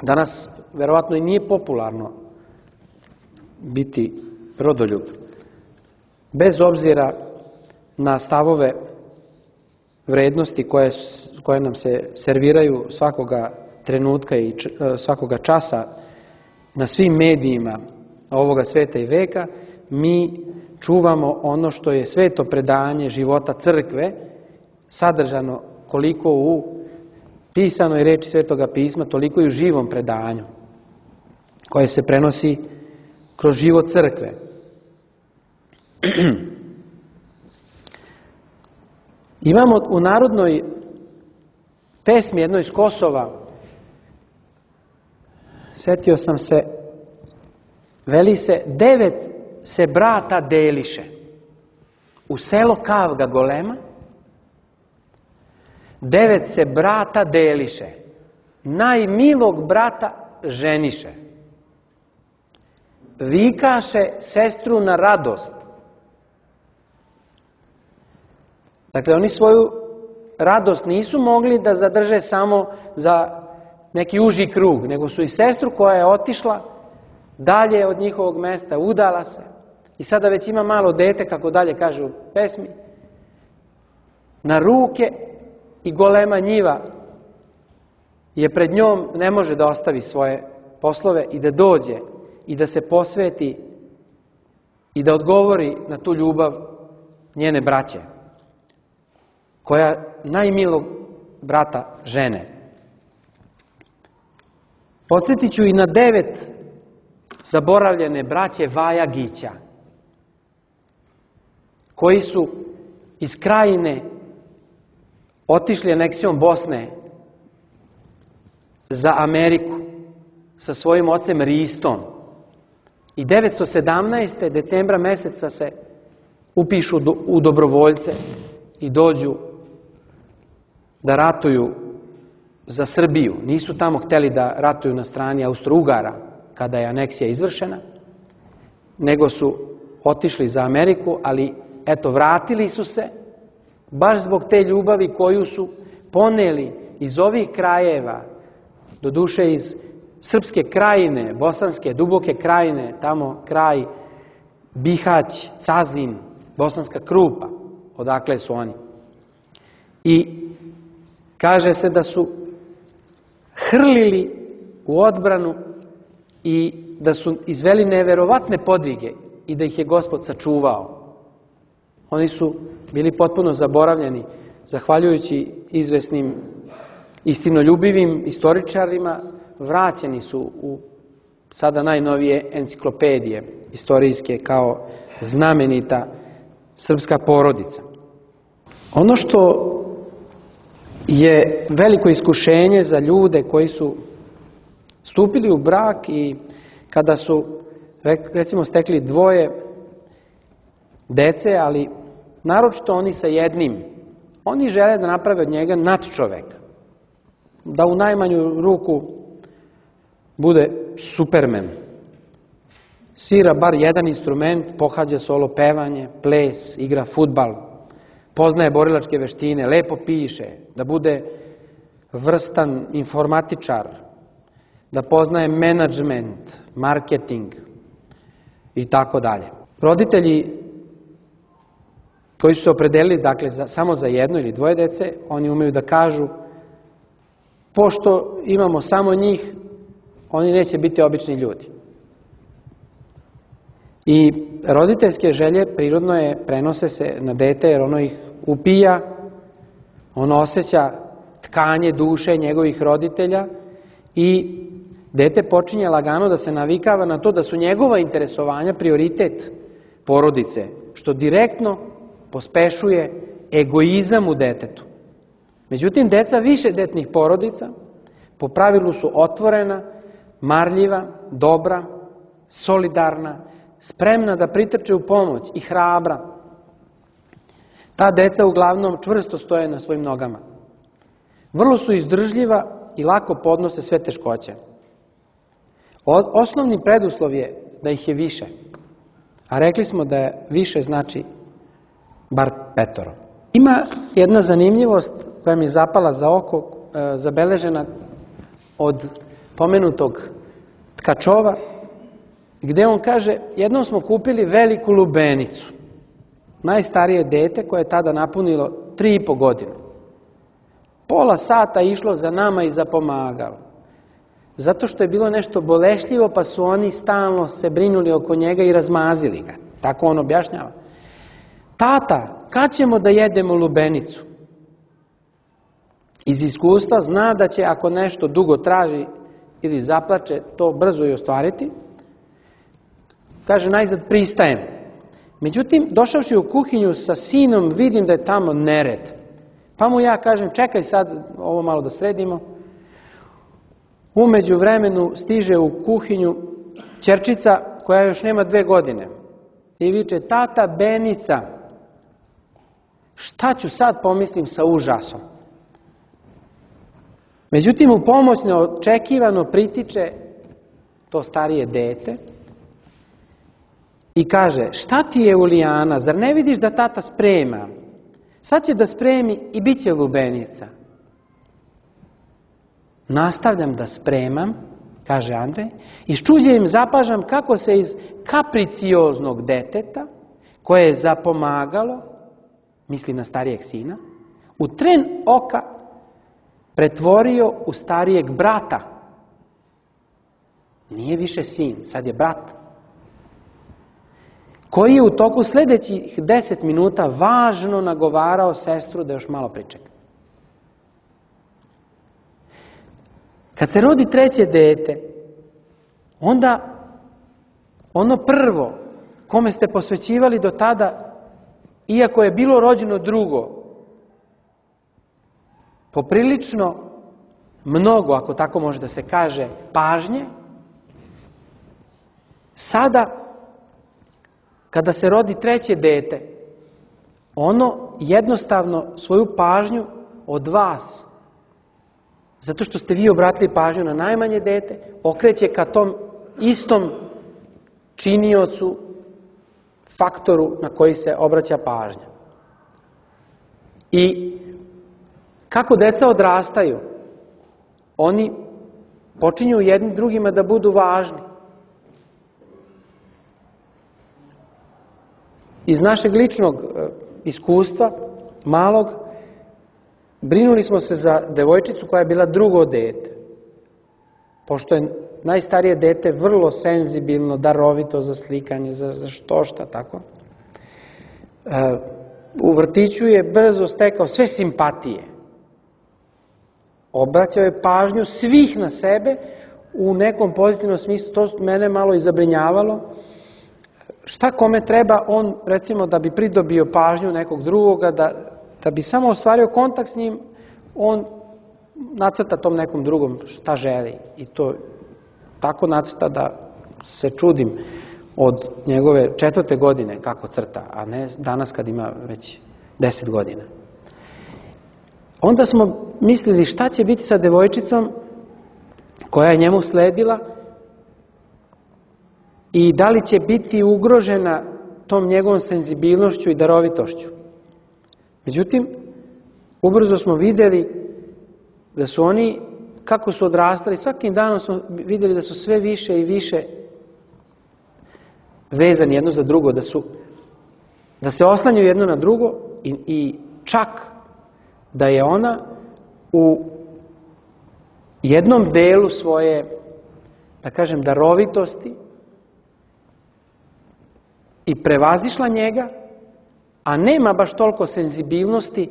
danas verovatno i nije popularno biti rodoljub. Bez obzira na stavove vrednosti koje nam se serviraju svakoga trenutka i svakoga časa na svim medijima ovoga sveta i veka, mi čuvamo ono što je sveto predanje života crkve, sadržano koliko u pisanoj reči Svetoga pisma, toliko i u živom predanju, koje se prenosi kroz život crkve. Imamo u narodnoj pesmi jednoj iz Kosova, setio sam se, veli se, 9 se brata deliše u selo Kavga golema, 9 se brata deliše, najmilog brata ženiše, vikaše sestru na radost. Dakle, oni svoju radost nisu mogli da zadrže samo za neki uži krug, nego su i sestru koja je otišla dalje od njihovog mesta, udala se i sada već ima malo dete, kako dalje kaže u pesmi, na ruke i golema njiva je pred njom, ne može da ostavi svoje poslove i da dođe i da se posveti i da odgovori na tu ljubav njene braće, koja najmilog brata žene. Podsjetit ću i na 9 zaboravljene braće Vajagića, koji su iz Krajine otišli aneksijom Bosne za Ameriku sa svojim ocem Ristom. I 917. decembra meseca se upišu u dobrovoljce i dođu da ratuju za Srbiju. Nisu tamo hteli da ratuju na strani Austro-Ugara kada je aneksija izvršena, nego su otišli za Ameriku, ali eto, vratili su se baš zbog te ljubavi koju su poneli iz ovih krajeva, doduše iz Srpske krajine, Bosanske, Duboke krajine, tamo kraj Bihać, Cazin, Bosanska Krupa, odakle su oni. I kaže se da su hrlili u odbranu i da su izveli neverovatne podvige i da ih je Gospod sačuvao. Oni su bili potpuno zaboravljeni, zahvaljujući izvesnim istinoljubivim istoričarima, vraćeni su u sada najnovije enciklopedije istorijske kao znamenita srpska porodica. Ono što je veliko iskušenje za ljude koji su stupili u brak i kada su, recimo, stekli 2 dece, ali naročito oni sa jednim, oni žele da naprave od njega nadčoveka, da u najmanju ruku bude Superman. Svira bar jedan instrument, pohađa solo pevanje, ples, igra fudbal, poznaje borilačke veštine, lepo piše, da bude vrstan informatičar, da poznaje menadžment, marketing i tako dalje. Roditelji koji su se opredelili, dakle, samo za 1 ili 2 dece, oni umeju da kažu, pošto imamo samo njih, oni neće biti obični ljudi. I roditeljske želje prirodno prenose se na dete, jer ono ih upija, ono osjeća tkanje duše njegovih roditelja i dete počinje lagano da se navikava na to da su njegova interesovanja prioritet porodice, što direktno pospešuje egoizam u detetu. Međutim, deca višedetnih porodica po pravilu su otvorena, marljiva, dobra, solidarna, spremna da pritrče u pomoć i hrabra. Ta deca uglavnom čvrsto stoje na svojim nogama. Vrlo su izdržljiva i lako podnose sve teškoće. Osnovni preduslov je da ih je više. A rekli smo da više znači bar 5. Ima jedna zanimljivost koja mi je zapala za oko, zabeležena od pomenutog Tkačova, gde on kaže, jednom smo kupili veliku lubenicu, najstarije dete koje je tada napunilo 3,5 godine. Pola sata išlo za nama i za pomagalo. Zato što je bilo nešto bolešljivo, pa su oni stalno se brinuli oko njega i razmazili ga. Tako on objašnjava. Tata, kad ćemo da jedemo lubenicu? Iz iskustva zna da će, ako nešto dugo traži ili zaplače, to brzo i ostvariti. Kaže, najzad pristajem. Međutim, došavši u kuhinju sa sinom, vidim da je tamo nered. Pa mu ja kažem, čekaj sad ovo malo da sredimo. U međuvremenu stiže u kuhinju ćerčica koja još nema 2 godine. I viče, tata, Benica. Šta ću sad, pomislim sa užasom. Međutim, u pomoć neočekivano pritiče to starije dete i kaže, šta ti je, Ulijana, zar ne vidiš da tata sprema? Sad će da spremi i bit će lubenica. Nastavljam da spremam, kaže Andrej, i s čuđenjem zapažam kako se iz kapricioznog deteta, koje je zapomagalo, misli na starijeg sina, u tren oka pretvorio u starijeg brata. Nije više sin, sad je brat. Koji je u toku sljedećih 10 minuta važno nagovarao sestru da još malo pričeka. Kad se rodi 3. dete, onda ono prvo kome ste posvećivali do tada, iako je bilo rođeno drugo, poprilično mnogo, ako tako može da se kaže, pažnje, sada, kada se rodi treće dete, ono jednostavno svoju pažnju od vas, zato što ste vi obratili pažnju na najmanje dete, okreće ka tom istom činiocu, faktoru na koji se obraća pažnja. I kako deca odrastaju, oni počinju jedni drugima da budu važni. Iz našeg ličnog iskustva, malog, brinuli smo se za devojčicu koja je bila drugo dete. Pošto je najstarije dete vrlo senzibilno, darovito za slikanje, za šta tako. U vrtiću je brzo stekao sve simpatije. Obraćao je pažnju svih na sebe u nekom pozitivnom smislu. To mene malo i zabrinjavalo. Šta kome treba, on, recimo, da bi pridobio pažnju nekog drugoga, da bi samo ostvario kontakt s njim, on nacrta tom nekom drugom šta želi. I to tako nacrta da se čudim od njegove 4. godine kako crta, a ne danas kad ima već 10 godina. Onda smo mislili šta će biti sa devojčicom koja je njemu sledila i da li će biti ugrožena tom njegovom senzibilnošću i darovitošću. Međutim, ubrzo smo vidjeli da su oni, kako su odrastali, svakim danom smo vidjeli da su sve više i više vezani jedno za drugo, da se oslanjaju jedno na drugo i čak da je ona u jednom delu svoje, da kažem, darovitosti i prevazišla njega, a nema baš toliko senzibilnosti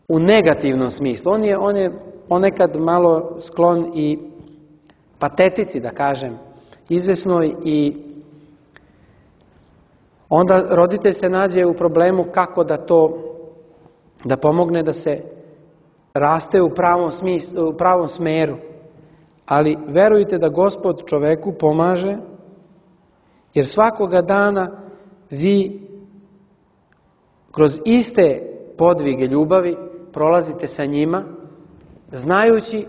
u negativnom smislu. On je ponekad malo sklon i patetici, da kažem, izvesnoj, i onda roditelj se nađe u problemu kako da pomogne da se raste u pravom smeru. Ali verujte da Gospod čoveku pomaže, jer svakoga dana vi kroz iste podvige ljubavi prolazite sa njima, znajući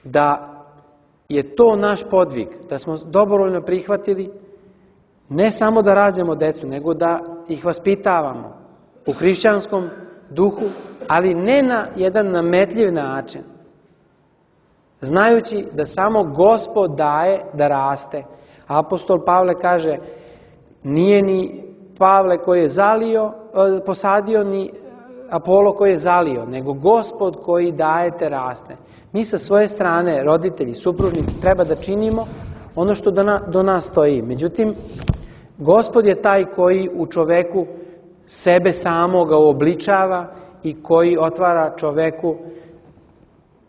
da je to naš podvig, da smo dobrovoljno prihvatili ne samo da rađamo decu, nego da ih vaspitavamo u hrišćanskom duhu, ali ne na jedan nametljiv način, znajući da samo Gospod daje da raste. Apostol Pavle kaže, nije ni Pavle koji je posadio, ni Apolo koji je zalio, nego Gospod koji daje te raste. Mi sa svoje strane, roditelji, supružnici, treba da činimo ono što do nas stoji. Međutim, Gospod je taj koji u čoveku sebe samoga uobličava i koji otvara čoveku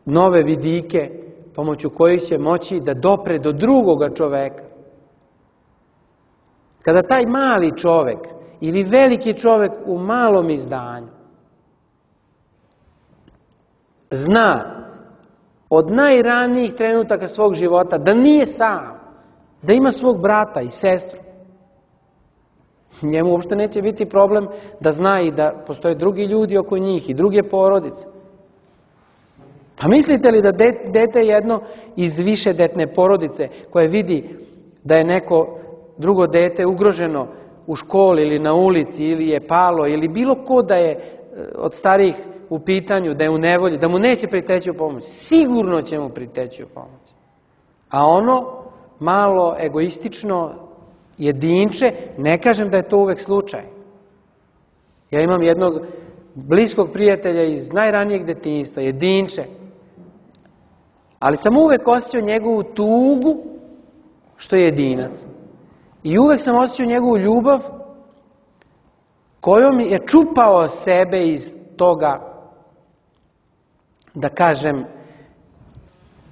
nove vidike pomoću kojih će moći da dopre do drugoga čoveka. Kada taj mali čovek ili veliki čovek u malom izdanju zna od najranijih trenutaka svog života da nije sam, da ima svog brata i sestru, njemu uopšte neće biti problem da zna i da postoje drugi ljudi oko njih i druge porodice. Pa mislite li da dete jedno iz višedetne porodice koje vidi da je neko drugo dete ugroženo u školi ili na ulici ili je palo ili bilo ko da je od starijih u pitanju, da je u nevolji, da mu neće priteći u pomoć? Sigurno će mu priteći u pomoć. A ono malo egoistično jedinče, ne kažem da je to uvek slučaj. Ja imam jednog bliskog prijatelja iz najranijeg detinjstva, jedinče. Ali sam uvek osjećao njegovu tugu što je jedinac. I uvek sam osjećao njegovu ljubav kojom je čupao sebe iz toga, da kažem,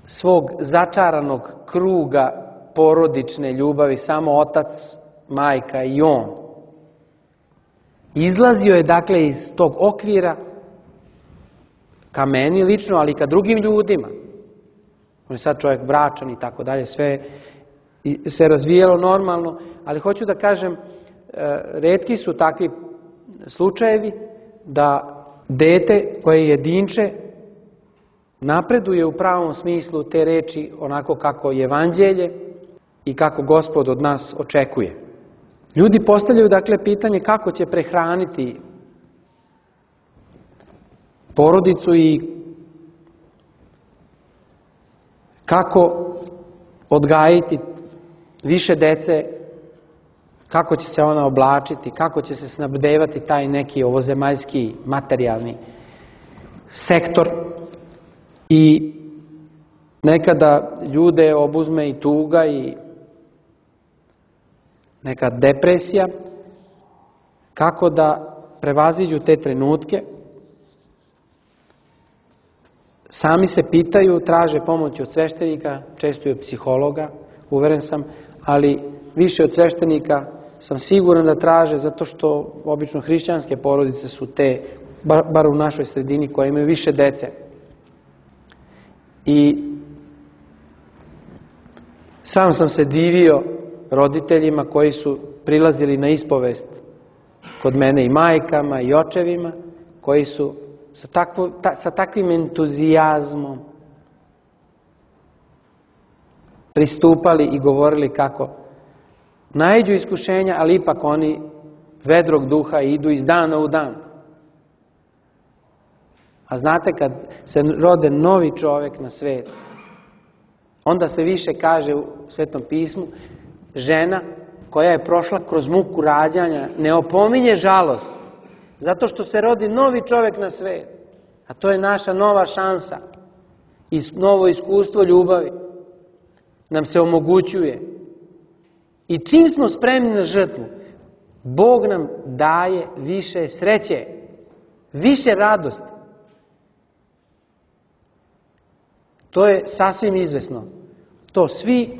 svog začaranog kruga porodične ljubavi, samo otac, majka i on. Izlazio je dakle iz tog okvira ka meni lično, ali i ka drugim ljudima. On je sad čovjek bračan i tako dalje, sve se razvijelo normalno, ali hoću da kažem, retki su takvi slučajevi da dete koje je jedinče napreduje u pravom smislu te reči onako kako je evanđelje i kako Gospod od nas očekuje. Ljudi postavljaju dakle pitanje kako će prehraniti porodicu i kako odgajiti više dece, kako će se ona oblačiti, kako će se snabdevati taj neki ovozemaljski materijalni sektor. I nekada ljude obuzme i tuga i neka depresija, kako da prevaziđu te trenutke. Sami se pitaju, traže pomoć od sveštenika, često i od psihologa, uveren sam, ali više od sveštenika sam siguran da traže, zato što obično hrišćanske porodice su te, bar u našoj sredini, koje imaju više dece. I sam sam se divio roditeljima koji su prilazili na ispovest kod mene, i majkama i očevima, koji su sa takvim entuzijazmom pristupali i govorili kako naiđu iskušenja, ali ipak oni vedrog duha idu iz dana u dan. A znate, kad se rode novi čovjek na svijet, onda se više kaže u Svetom pismu, žena koja je prošla kroz muku rađanja ne opominje žalost, zato što se rodi novi čovjek na svijet. A to je naša nova šansa i novo iskustvo ljubavi nam se omogućuje. I čim smo spremni na žrtvu, Bog nam daje više sreće, više radosti. To je sasvim izvesno. To svi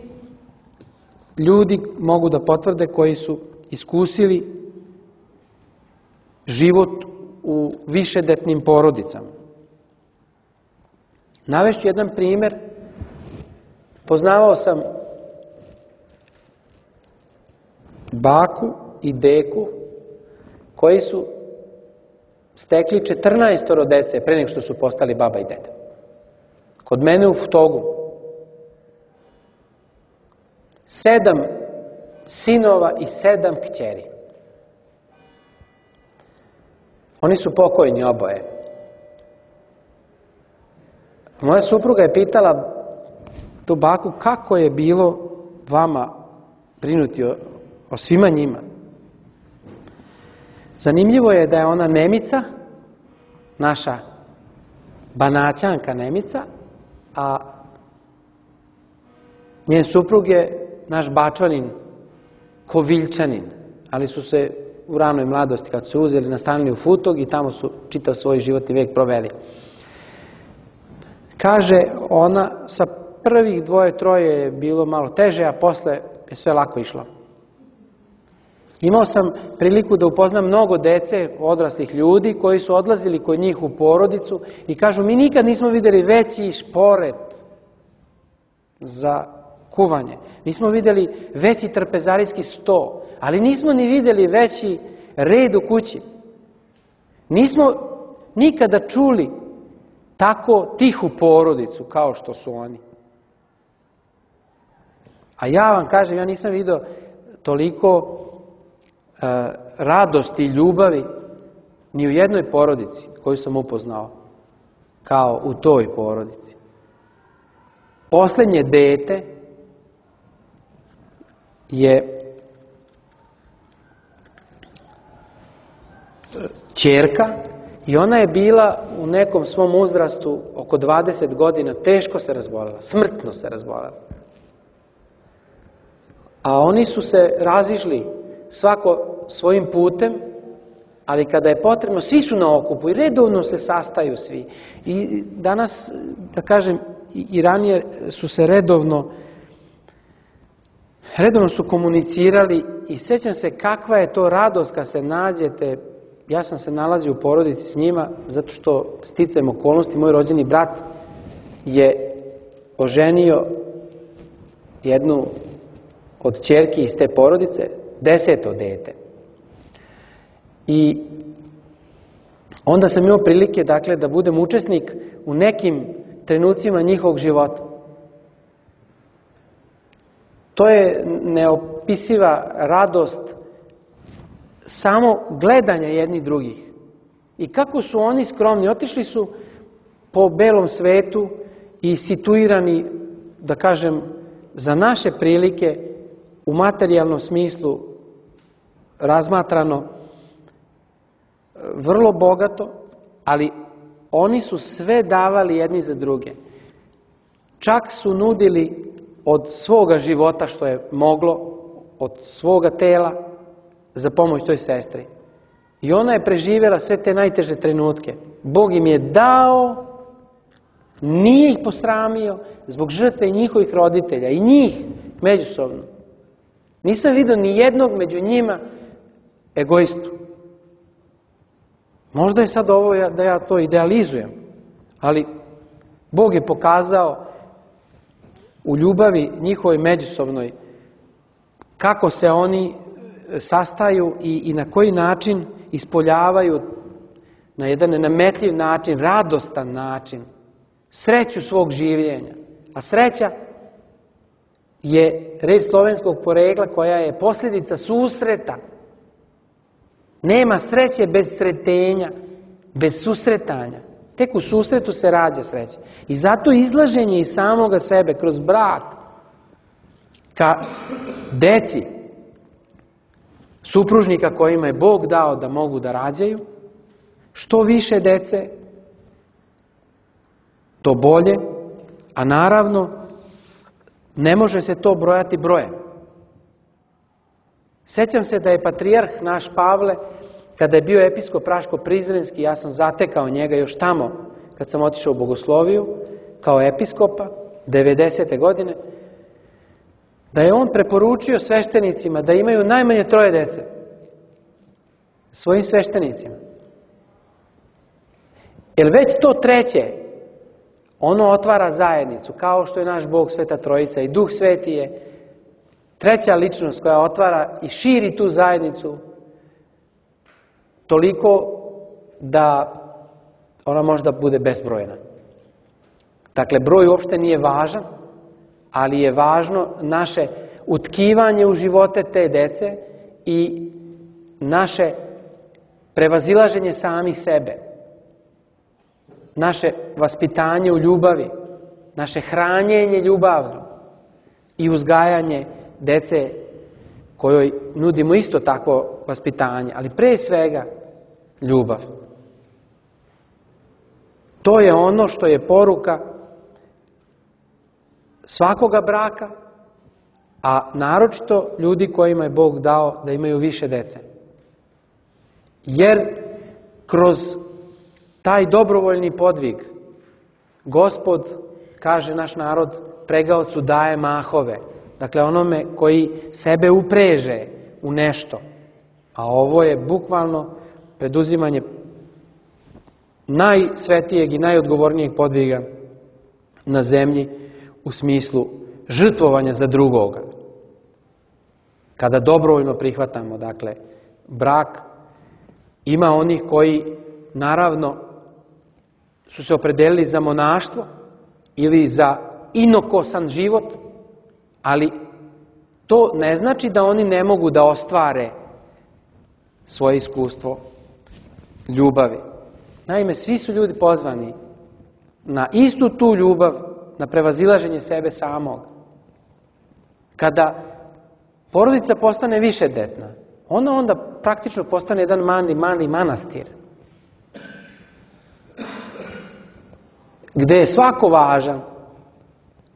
ljudi mogu da potvrde koji su iskusili život u višedetnim porodicama. Navešću jedan primjer. Poznavao sam baku i deku koji su stekli 14 dece pre nego što su postali baba i deda. Kod mene u Futogu 7 sinova i 7 kćeri. Oni su pokojni oboje. Moja supruga je pitala tu baku kako je bilo vama brinuti o svima njima. Zanimljivo je da je ona Nemica, naša Banaćanka Nemica, a njen suprug je naš Bačanin, Koviljčanin, ali su se u ranoj mladosti, kad su se uzeli, nastanili u Futog i tamo su čitav svoj životni vek proveli. Kaže ona, sa prvih 2-3 je bilo malo teže, a posle je sve lako išlo. Imao sam priliku da upoznam mnogo dece, odraslih ljudi, koji su odlazili kod njih u porodicu i kažu, mi nikad nismo vidjeli veći šporet za kuvanje. Nismo vidjeli veći trpezarijski sto, ali nismo ni vidjeli veći red u kući. Nismo nikada čuli tako tihu porodicu kao što su oni. A ja vam kažem, ja nisam vidio toliko radosti i ljubavi ni u jednoj porodici koju sam upoznao kao u toj porodici. Poslednje dete je ćerka i ona je bila u nekom svom uzrastu oko 20 godina, teško se razbolela, smrtno se razbolela. A oni su se razišli svako svojim putem, ali kada je potrebno, svi su na okupu i redovno se sastaju svi. I danas, da kažem, i ranije su se redovno su komunicirali i sjećam se kakva je to radost kad se nađete. Ja sam se nalazio u porodici s njima, zato što sticajem okolnosti, moj rođeni brat je oženio jednu od ćerki iz te porodice, 10. dete. I onda sam imao prilike, dakle, da budem učesnik u nekim trenucima njihovog života. To je neopisiva radost samo gledanja jednih drugih. I kako su oni skromni, otišli su po belom svetu i situirani, da kažem, za naše prilike u materijalnom smislu razmatrano vrlo bogato, ali oni su sve davali jedni za druge. Čak su nudili od svoga života što je moglo, od svoga tela za pomoć toj sestri. I ona je preživjela sve te najteže trenutke. Bog im je dao, nije ih posramio zbog žrtve njihovih roditelja i njih međusobno. Nisam vidio ni jednog među njima egoistu. Možda je sad ovo da ja to idealizujem, ali Bog je pokazao u ljubavi njihovoj međusobnoj kako se oni sastaju i na koji način ispoljavaju na jedan nenametljiv način, radostan način, sreću svog življenja. A sreća je reč slovenskog porekla koja je posljedica susreta. Nema sreće bez sretenja, bez susretanja. Tek u susretu se rađa sreća. I zato izlaženje iz samoga sebe kroz brak ka deci supružnika kojima je Bog dao da mogu da rađaju, što više dece, to bolje, a naravno ne može se to brojati brojem. Sjećam se da je patrijarh naš Pavle, kada je bio episkop Raško-Prizrenski, ja sam zatekao njega još tamo kad sam otišao u Bogosloviju kao episkopa 90. godine, da je on preporučio sveštenicima da imaju najmanje 3 dece. Svojim sveštenicima. Jer već to 3. ono otvara zajednicu, kao što je naš Bog Sveta Trojica i Duh Sveti je 3. ličnost koja otvara i širi tu zajednicu toliko da ona možda bude bezbrojna. Dakle, broj uopšte nije važan, ali je važno naše utkivanje u živote te dece i naše prevazilaženje sami sebe. Naše vaspitanje u ljubavi, naše hranjenje ljubavno i uzgajanje dece kojoj nudimo isto takvo vaspitanje, ali pre svega ljubav. To je ono što je poruka svakoga braka, a naročito ljudi kojima je Bog dao da imaju više dece. Jer kroz taj dobrovoljni podvig Gospod, kaže naš narod, pregaocu daje mahove. Dakle, onome koji sebe upreže u nešto. A ovo je bukvalno preduzimanje najsvetijeg i najodgovornijeg podviga na zemlji u smislu žrtvovanja za drugoga. Kada dobrovoljno prihvatamo, dakle, brak, ima onih koji, naravno, su se opredelili za monaštvo ili za inokosan život, ali to ne znači da oni ne mogu da ostvare svoje iskustvo ljubavi. Naime, svi su ljudi pozvani na istu tu ljubav, na prevazilaženje sebe samog. Kada porodica postane višedetna, ona onda praktično postane jedan mali manastir. Gde je svako važan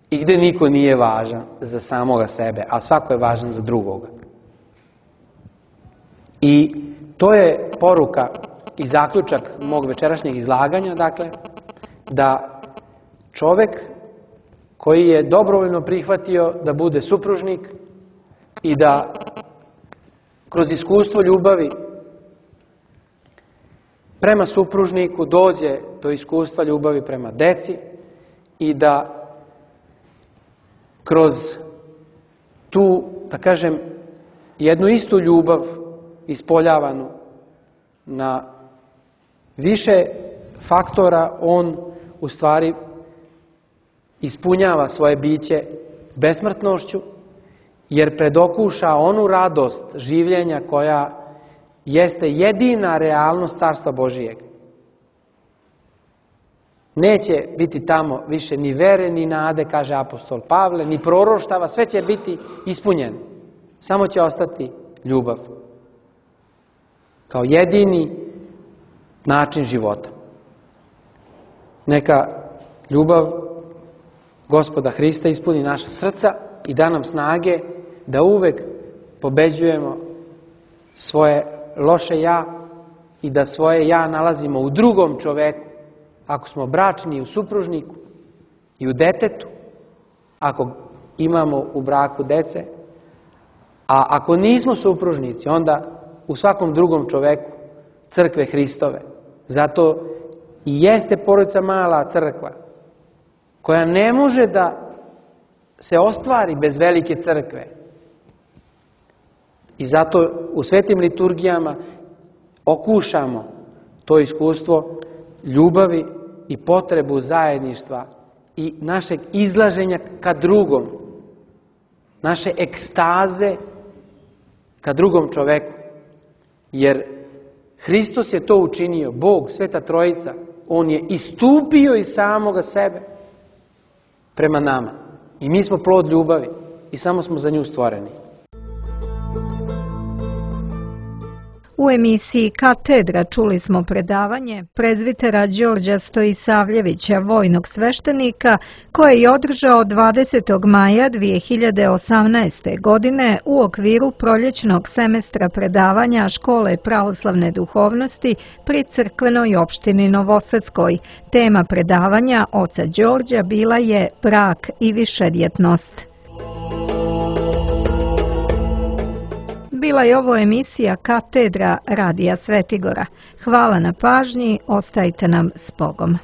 i gde niko nije važan za samoga sebe, a svako je važan za drugoga. I to je poruka i zaključak mog večerašnjeg izlaganja, dakle, da čovek koji je dobrovoljno prihvatio da bude supružnik i da kroz iskustvo ljubavi prema supružniku dođe do iskustva ljubavi prema deci i da kroz tu, da kažem, jednu istu ljubav ispoljavanu na više faktora, on u stvari ispunjava svoje biće besmrtnošću, jer predokuša onu radost življenja koja jeste jedina realnost Carstva Božijeg. Neće biti tamo više ni vere, ni nade, kaže apostol Pavle, ni proroštava, sve će biti ispunjeno. Samo će ostati ljubav kao jedini način života. Neka ljubav Gospoda Hrista ispuni naša srca i da nam snage da uvek pobeđujemo svoje loše ja i da svoje ja nalazimo u drugom čoveku. Ako smo bračni, u supružniku i u detetu, ako imamo u braku dece, a ako nismo supružnici, onda u svakom drugom čoveku crkve Hristove. Zato i jeste porodica mala crkva, koja ne može da se ostvari bez velike crkve. I zato u svetim liturgijama okušamo to iskustvo ljubavi i potrebu zajedništva i našeg izlaženja ka drugom, naše ekstaze ka drugom čoveku. Jer Hristos je to učinio, Bog, Sveta Trojica, On je istupio iz samoga sebe prema nama. I mi smo plod ljubavi i samo smo za nju stvoreni. U emisiji Katedra čuli smo predavanje prezvitera Đorđa Stojisavljevića, vojnog sveštenika, koje je održao 20. maja 2018. godine u okviru proljećnog semestra predavanja Škole pravoslavne duhovnosti pri crkvenoj opštini Novosadskoj. Tema predavanja oca Đorđa bila je brak i višedjetnost. Bila je ovo emisija Katedra Radija Svetigora. Hvala na pažnji, ostajte nam s Bogom.